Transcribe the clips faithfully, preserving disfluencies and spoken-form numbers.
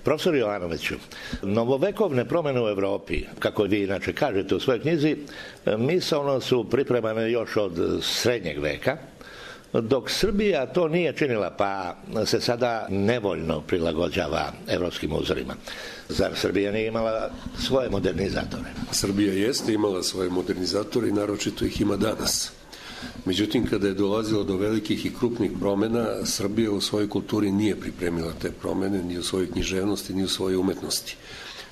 Profesor Jovanoviću, novovekovne promjene u Evropi, kako vi inače kažete u svojoj knjizi, misaono su pripremane još od srednjeg veka, dok Srbija to nije činila, pa se sada nevoljno prilagođava evropskim uzorima. Zar Srbija nije imala svoje modernizatore? Srbija jeste imala svoje modernizatore i naročito ih ima danas. Međutim, kada je dolazilo do velikih i krupnih promjena, Srbija u svojoj kulturi nije pripremila te promjene, ni u svojoj književnosti, ni u svojoj umetnosti.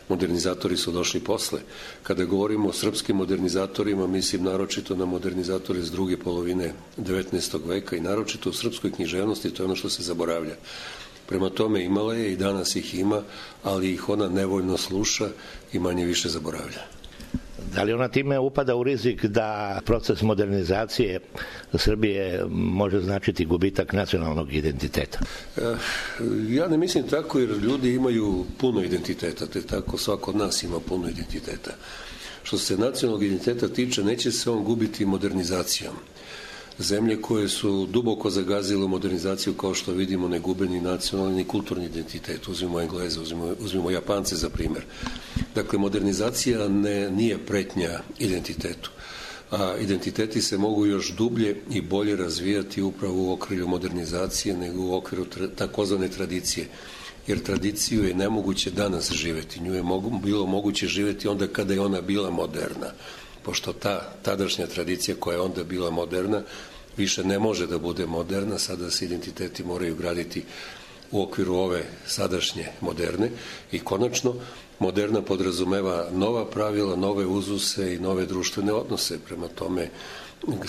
Modernizatori su došli posle. Kada govorimo o srpskim modernizatorima, mislim naročito na modernizatore iz druge polovine devetnaestog veka i naročito u srpskoj književnosti, to je ono što se zaboravlja. Prema tome imala je i danas ih ima, ali ih ona nevoljno sluša i manje više zaboravlja. Da li ona time upada u rizik da proces modernizacije Srbije može značiti gubitak nacionalnog identiteta? Ja ne mislim tako, jer ljudi imaju puno identiteta, te tako svako od nas ima puno identiteta. Što se nacionalnog identiteta tiče, neće se on gubiti modernizacijom. Zemlje koje su duboko zagazile u modernizaciju, kao što vidimo, ne gube ni nacionalni ni kulturni identitet. Uzmimo Engleze, uzmimo, uzmimo Japance za primjer. Dakle, modernizacija ne, nije pretnja identitetu. A identiteti se mogu još dublje i bolje razvijati upravo u okrilju modernizacije nego u okviru tra, takozvane tradicije. Jer tradiciju je nemoguće danas živjeti. Nju je mogu, bilo moguće živjeti onda kada je ona bila moderna. Pošto ta tadašnja tradicija koja je onda bila moderna više ne može da bude moderna, sada se identiteti moraju graditi u okviru ove sadašnje moderne i konačno moderna podrazumeva nova pravila, nove uzuse i nove društvene odnose. Prema tome,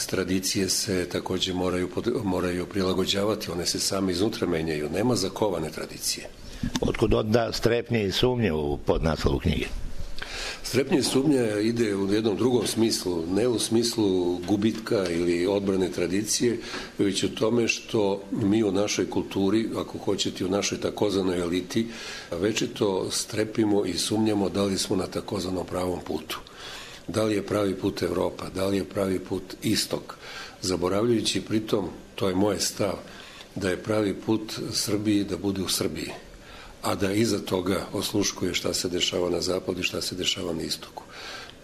tradicije se također moraju, moraju prilagođavati, one se same iznutra menjaju. Nema zakovane tradicije. Otkud onda strepnje i sumnje u podnaslovu knjige? Strepnje i sumnja ide u jednom drugom smislu, ne u smislu gubitka ili odbrane tradicije, već u tome što mi u našoj kulturi, ako hoćete u našoj takozvanoj eliti, večito strepimo i sumnjamo da li smo na takozvanom pravom putu. Da li je pravi put Evropa, da li je pravi put istok, zaboravljajući pritom, to je moj stav, da je pravi put Srbiji da bude u Srbiji, a da iza toga osluškuje šta se dešava na zapadu i šta se dešava na istoku.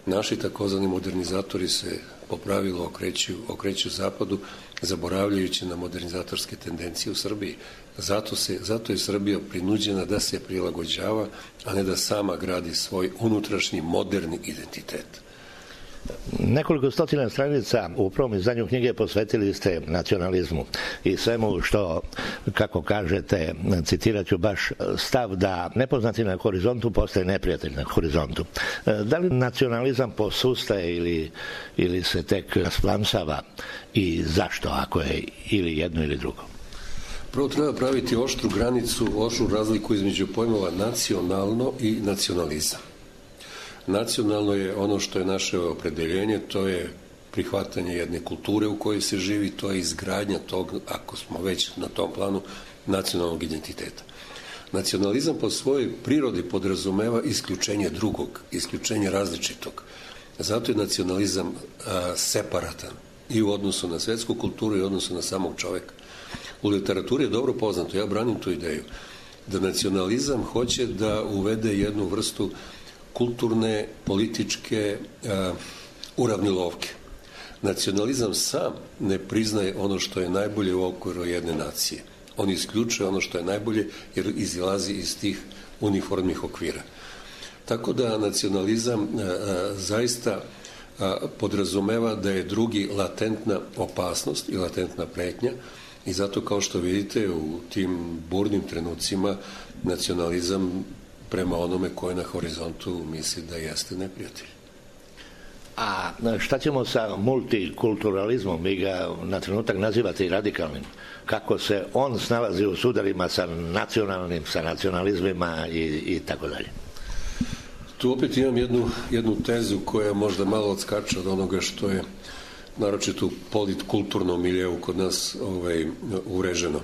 Naši takozvani modernizatori se po pravilu okreću, okreću zapadu, zaboravljajući na modernizatorske tendencije u Srbiji. Zato, se, zato je Srbija prinuđena da se prilagođava, a ne da sama gradi svoj unutrašnji moderni identitet. Nekoliko stotina stranica u prvom izdanju knjige posvetili ste nacionalizmu i svemu što, kako kažete, citirat ću baš stav da nepoznati na horizontu postaje neprijatelj na horizontu. Da li nacionalizam posustaje ili, ili se tek rasplamsava i zašto, ako je ili jedno ili drugo? Prvo treba praviti oštru granicu, oštru razliku između pojmova nacionalno i nacionalizam. Nacionalno je ono što je naše opredeljenje, to je prihvatanje jedne kulture u kojoj se živi, to je izgradnja tog, ako smo već na tom planu, nacionalnog identiteta. Nacionalizam po svojoj prirodi podrazumeva isključenje drugog, isključenje različitog. Zato je nacionalizam a, separatan i u odnosu na svetsku kulturu i u odnosu na samog čoveka. U literaturi je dobro poznato, ja branim tu ideju, da nacionalizam hoće da uvede jednu vrstu kulturne, političke uh, uravnilovke. Nacionalizam sam ne priznaje ono što je najbolje u okviru jedne nacije. On isključuje ono što je najbolje jer izilazi iz tih uniformnih okvira. Tako da nacionalizam uh, uh, zaista uh, podrazumeva da je drugi latentna opasnost i latentna pretnja i zato, kao što vidite, u tim burnim trenucima nacionalizam prema onome koje na horizontu misli da jeste neprijatelj. A šta ćemo sa multikulturalizmom? Vi ga na trenutak nazivate i radikalnim. Kako se on snalazi u sudarima sa nacionalnim, sa nacionalizmima i, i tako dalje? Tu opet imam jednu, jednu tezu koja možda malo odskače od onoga što je naročito u politkulturnom miljeu kod nas ovaj, ureženo.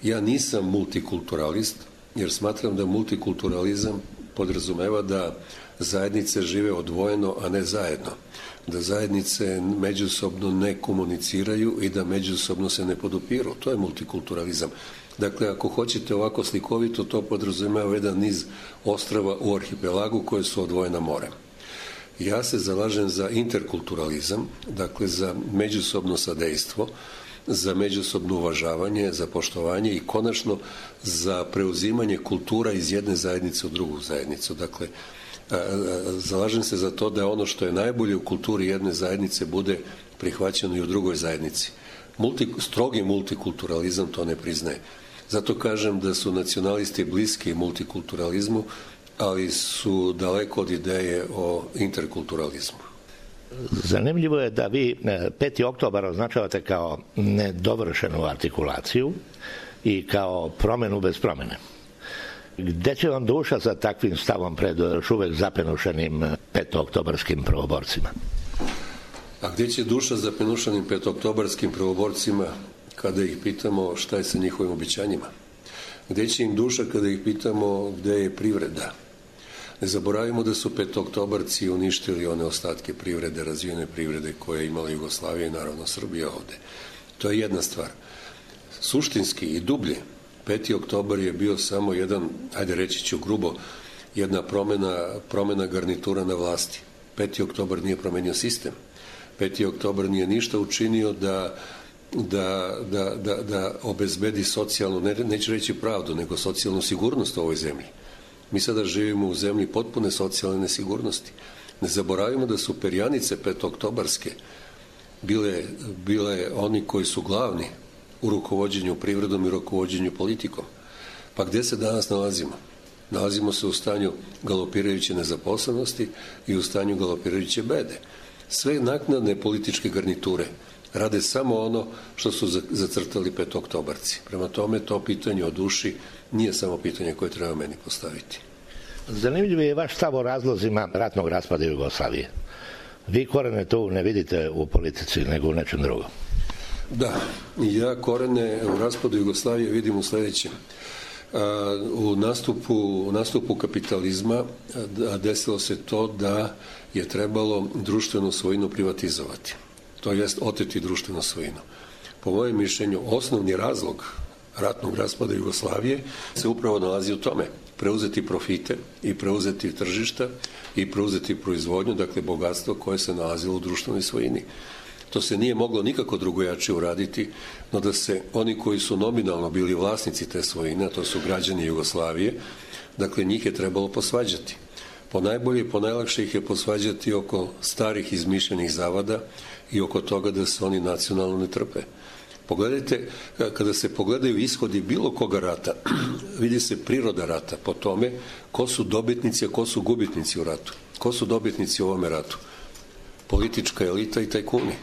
Ja nisam multikulturalist, jer smatram da multikulturalizam podrazumeva da zajednice žive odvojeno, a ne zajedno. Da zajednice međusobno ne komuniciraju i da međusobno se ne podupiru. To je multikulturalizam. Dakle, ako hoćete ovako slikovito, to podrazumijeva jedan niz ostrava u arhipelagu koje su odvojena morem. Ja se zalažem za interkulturalizam, dakle za međusobno sadejstvo, za međusobno uvažavanje, za poštovanje i konačno za preuzimanje kultura iz jedne zajednice u drugu zajednicu. Dakle, zalažem se za to da ono što je najbolje u kulturi jedne zajednice bude prihvaćeno i u drugoj zajednici. Multi, strogi multikulturalizam to ne priznaje. Zato kažem da su nacionalisti bliski multikulturalizmu, ali su daleko od ideje o interkulturalizmu. Zanimljivo je da vi peti oktobar označavate kao nedovršenu artikulaciju i kao promjenu bez promjene. Gde će vam duša sa takvim stavom pred još uvek zapenušenim petooktobarskim prvoborcima? A gdje će duša zapenušanim petooktobarskim prvoborcima kada ih pitamo šta je sa njihovim obećanjima? Gdje će im duša kada ih pitamo gdje je privreda? Ne zaboravimo da su petooktobarci uništili one ostatke privrede, razvijene privrede koje je imala Jugoslavija i naravno Srbija ovde. To je jedna stvar. Suštinski i dublje, peti oktobar je bio samo jedan, ajde reći ću grubo, jedna promjena, promjena garnitura na vlasti. peti oktobar nije promenio sistem. peti oktobar nije ništa učinio da, da, da, da, da obezbedi socijalnu, ne, neću reći pravdu, nego socijalnu sigurnost u ovoj zemlji. Mi sada živimo u zemlji potpune socijalne nesigurnosti. Ne zaboravimo da su perjanice petooktobarske bile, bile oni koji su glavni u rukovođenju privredom i rukovođenju politikom. Pa gdje se danas nalazimo? Nalazimo se u stanju galopirajuće nezaposlenosti i u stanju galopirajuće bede. Sve naknadne političke garniture rade samo ono što su zacrtali petooktobarci. Prema tome, to pitanje o duši nije samo pitanje koje treba meni postaviti. Zanimljiv je vaš stav o razlozima ratnog raspada Jugoslavije. Vi korene tu ne vidite u politici, nego u nečem drugom. Da, ja korene u raspadu Jugoslavije vidim u sljedećem. U nastupu, u nastupu kapitalizma desilo se to da je trebalo društvenu svojinu privatizovati. To jest oteti društvenu svojinu. Po mojem mišljenju, osnovni razlog ratnog raspada Jugoslavije se upravo nalazi u tome. Preuzeti profite i preuzeti tržišta i preuzeti proizvodnju, dakle bogatstvo koje se nalazilo u društvenoj svojini. To se nije moglo nikako drugojačije uraditi, no da se oni koji su nominalno bili vlasnici te svojine, a to su građani Jugoslavije, dakle njih je trebalo posvađati. Po najbolje i po najlakše ih je posvađati oko starih izmišljenih zavada i oko toga da se oni nacionalno ne trpe. Pogledajte, kada se pogledaju ishodi bilo koga rata, vidi se priroda rata po tome ko su dobitnici, a ko su gubitnici u ratu. Ko su dobitnici u ovome ratu? Politička elita i tajkuni.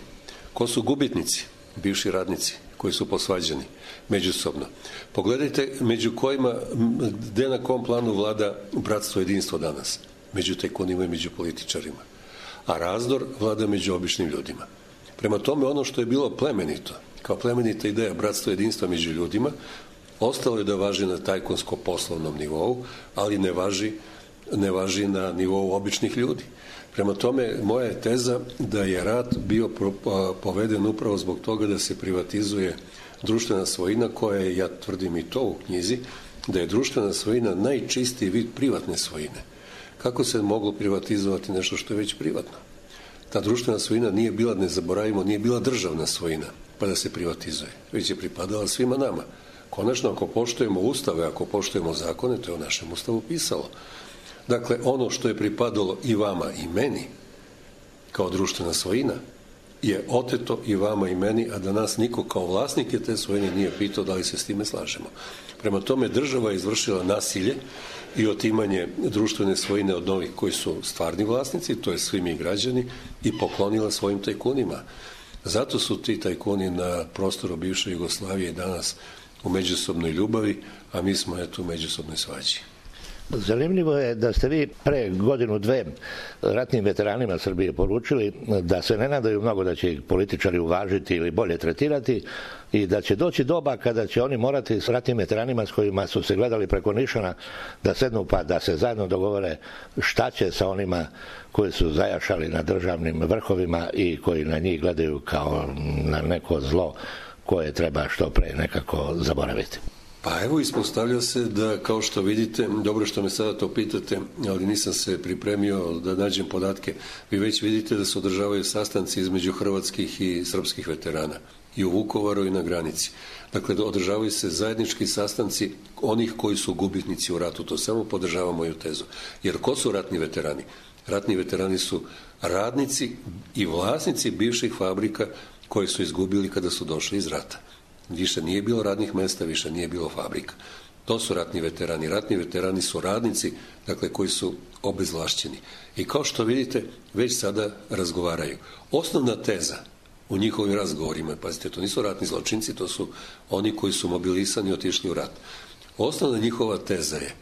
Ko su gubitnici? Bivši radnici koji su posvađani međusobno. Pogledajte među kojima, gde na kom planu vlada bratstvo jedinstvo danas. Među tajkunima i među političarima. A razdor vlada među običnim ljudima. Prema tome, ono što je bilo plemenito, kao plemenita ideja bratstva jedinstva među ljudima, ostalo je da važi na tajkunsko-poslovnom nivou, ali ne važi, ne važi na nivou običnih ljudi. Prema tome, moja je teza da je rat bio poveden upravo zbog toga da se privatizuje društvena svojina koja je, ja tvrdim i to u knjizi, da je društvena svojina najčistiji vid privatne svojine. Kako se moglo privatizovati nešto što je već privatno? Ta društvena svojina nije bila, ne zaboravimo, nije bila državna svojina, pa da se privatizuje. Već je pripadala svima nama. Konačno, ako poštujemo ustave, ako poštujemo zakone, to je u našem ustavu pisalo. Dakle, ono što je pripadalo i vama i meni, kao društvena svojina, je oteto i vama i meni, a da nas niko kao vlasnike te svojine nije pitao da li se s time slažemo. Prema tome, država je izvršila nasilje i otimanje društvene svojine od novih koji su stvarni vlasnici, to je svi mi građani, i poklonila svojim tajkunima. Zato su ti tajkuni na prostoru bivše Jugoslavije danas u međusobnoj ljubavi, a mi smo eto u međusobnoj svađi. Zanimljivo je da ste vi pre godinu dve ratnim veteranima Srbije poručili da se ne nadaju mnogo da će ih političari uvažiti ili bolje tretirati i da će doći doba kada će oni morati s ratnim veteranima s kojima su se gledali preko nišana da sednu pa da se zajedno dogovore šta će sa onima koji su zajašali na državnim vrhovima i koji na njih gledaju kao na neko zlo koje treba što pre nekako zaboraviti. Pa evo, ispostavlja se da, kao što vidite, dobro što me sada to pitate, ali nisam se pripremio da nađem podatke, vi već vidite da se održavaju sastanci između hrvatskih i srpskih veterana i u Vukovaru i na granici. Dakle, održavaju se zajednički sastanci onih koji su gubitnici u ratu. To samo podržava moju tezu. Jer ko su ratni veterani? Ratni veterani su radnici i vlasnici bivših fabrika koje su izgubili kada su došli iz rata. Više nije bilo radnih mesta, više nije bilo fabrika. To su ratni veterani. Ratni veterani su radnici, dakle, koji su obezvlašćeni. I kao što vidite, već sada razgovaraju. Osnovna teza u njihovim razgovorima, pazite, to nisu ratni zločinci, to su oni koji su mobilisani i otišli u rat. Osnovna njihova teza je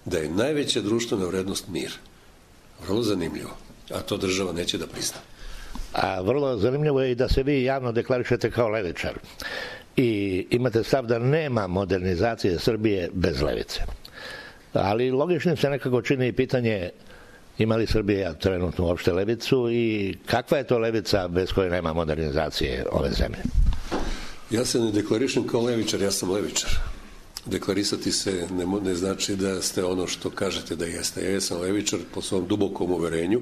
da je najveća društvena vrednost mir. Vrlo zanimljivo. A to država neće da prizna. A vrlo zanimljivo je i da se vi javno deklarišete kao levičar. I imate stav da nema modernizacije Srbije bez levice. Ali logičnim se nekako čini pitanje ima li Srbija trenutno uopšte levicu i kakva je to levica bez koje nema modernizacije ove zemlje? Ja se ne deklarišem kao levičar, ja sam levičar. Deklarisati se ne, ne znači da ste ono što kažete da jeste. Ja sam levičar po svom dubokom uverenju,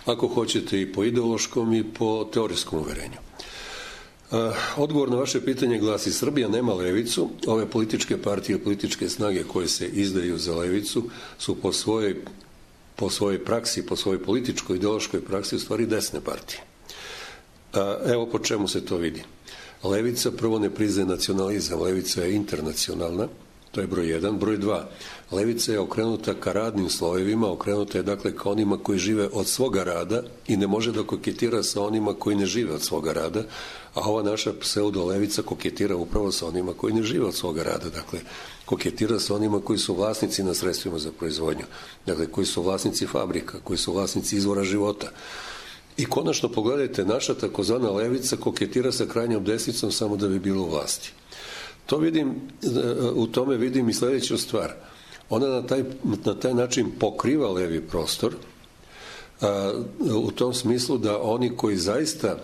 ako hoćete i po ideološkom i po teorijskom uverenju. Odgovor na vaše pitanje glasi: Srbija nema levicu. Ove političke partije, političke snage koje se izdaju za levicu su po svojoj, po svojoj praksi, po svojoj političkoj ideološkoj praksi u stvari desne partije. Evo po čemu se to vidi. Levica prvo ne priznaje nacionalizam, levica je internacionalna, to je broj jedan. Broj dva, levica je okrenuta ka radnim slojevima, okrenuta je dakle ka onima koji žive od svoga rada i ne može da koketira sa onima koji ne žive od svoga rada, a ova naša pseudo-levica koketira upravo sa onima koji ne žive od svoga rada, dakle koketira sa onima koji su vlasnici na sredstvima za proizvodnju, dakle koji su vlasnici fabrika, koji su vlasnici izvora života. I konačno pogledajte, naša takozvana levica koketira sa krajnjom desnicom samo da bi bilo u vlasti. To vidim, u tome vidim i sledeću stvar. Ona na taj, na taj način pokriva levi prostor, a, u tom smislu da oni koji zaista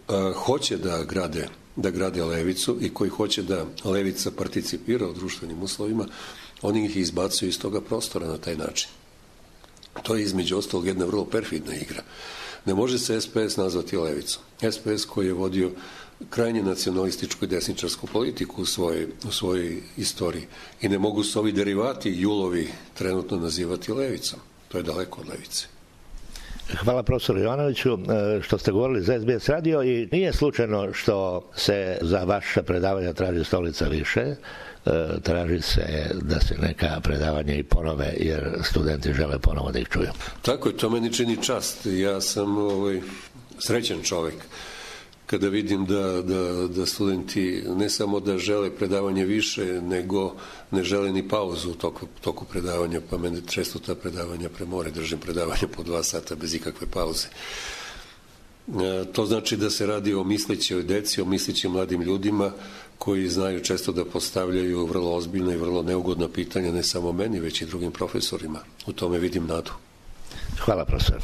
a, hoće da grade, da grade levicu i koji hoće da levica participira u društvenim uslovima, oni ih izbacuju iz toga prostora na taj način. To je između ostalog jedna vrlo perfidna igra. Ne može se es pe es nazvati levicom. es pe es koji je vodio krajnje nacionalističku i desničarsku politiku u svojoj, u svojoj istoriji. I ne mogu se ovi derivati julovi trenutno nazivati levicom. To je daleko od levice. Hvala profesoru Jovanoviću što ste govorili za es be es radio i nije slučajno što se za vaše predavanja traži stolica više. Traži se da se neka predavanja i ponove jer studenti žele ponovo da ih čuju. Tako je, to meni čini čast. Ja sam ovaj, srećan čovek kada vidim da, da, da studenti ne samo da žele predavanje više, nego ne žele ni pauzu u toku, toku predavanja, pa mene često ta predavanja premore, držim predavanje po dva sata bez ikakve pauze. E, to znači da se radi o mislećoj deci, o mislećim mladim ljudima koji znaju često da postavljaju vrlo ozbiljna i vrlo neugodna pitanja ne samo meni, već i drugim profesorima. U tome vidim nadu. Hvala profesor.